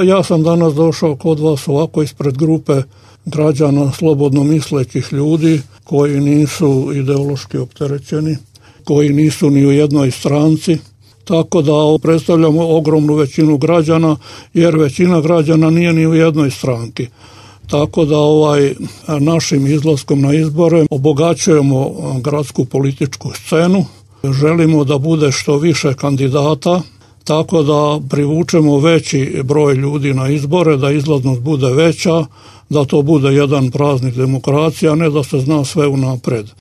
Ja sam danas došao kod vas ovako ispred grupe građana slobodno mislećih ljudi koji nisu ideološki opterećeni, koji nisu ni u jednoj stranci, tako da predstavljamo ogromnu većinu građana, jer većina građana nije ni u jednoj stranki. Tako da našim izlaskom na izbore obogaćujemo gradsku političku scenu, želimo da bude što više kandidata, tako da privučemo veći broj ljudi na izbore, da izlaznost bude veća, da to bude jedan praznik demokracije, a ne da se zna sve unapred.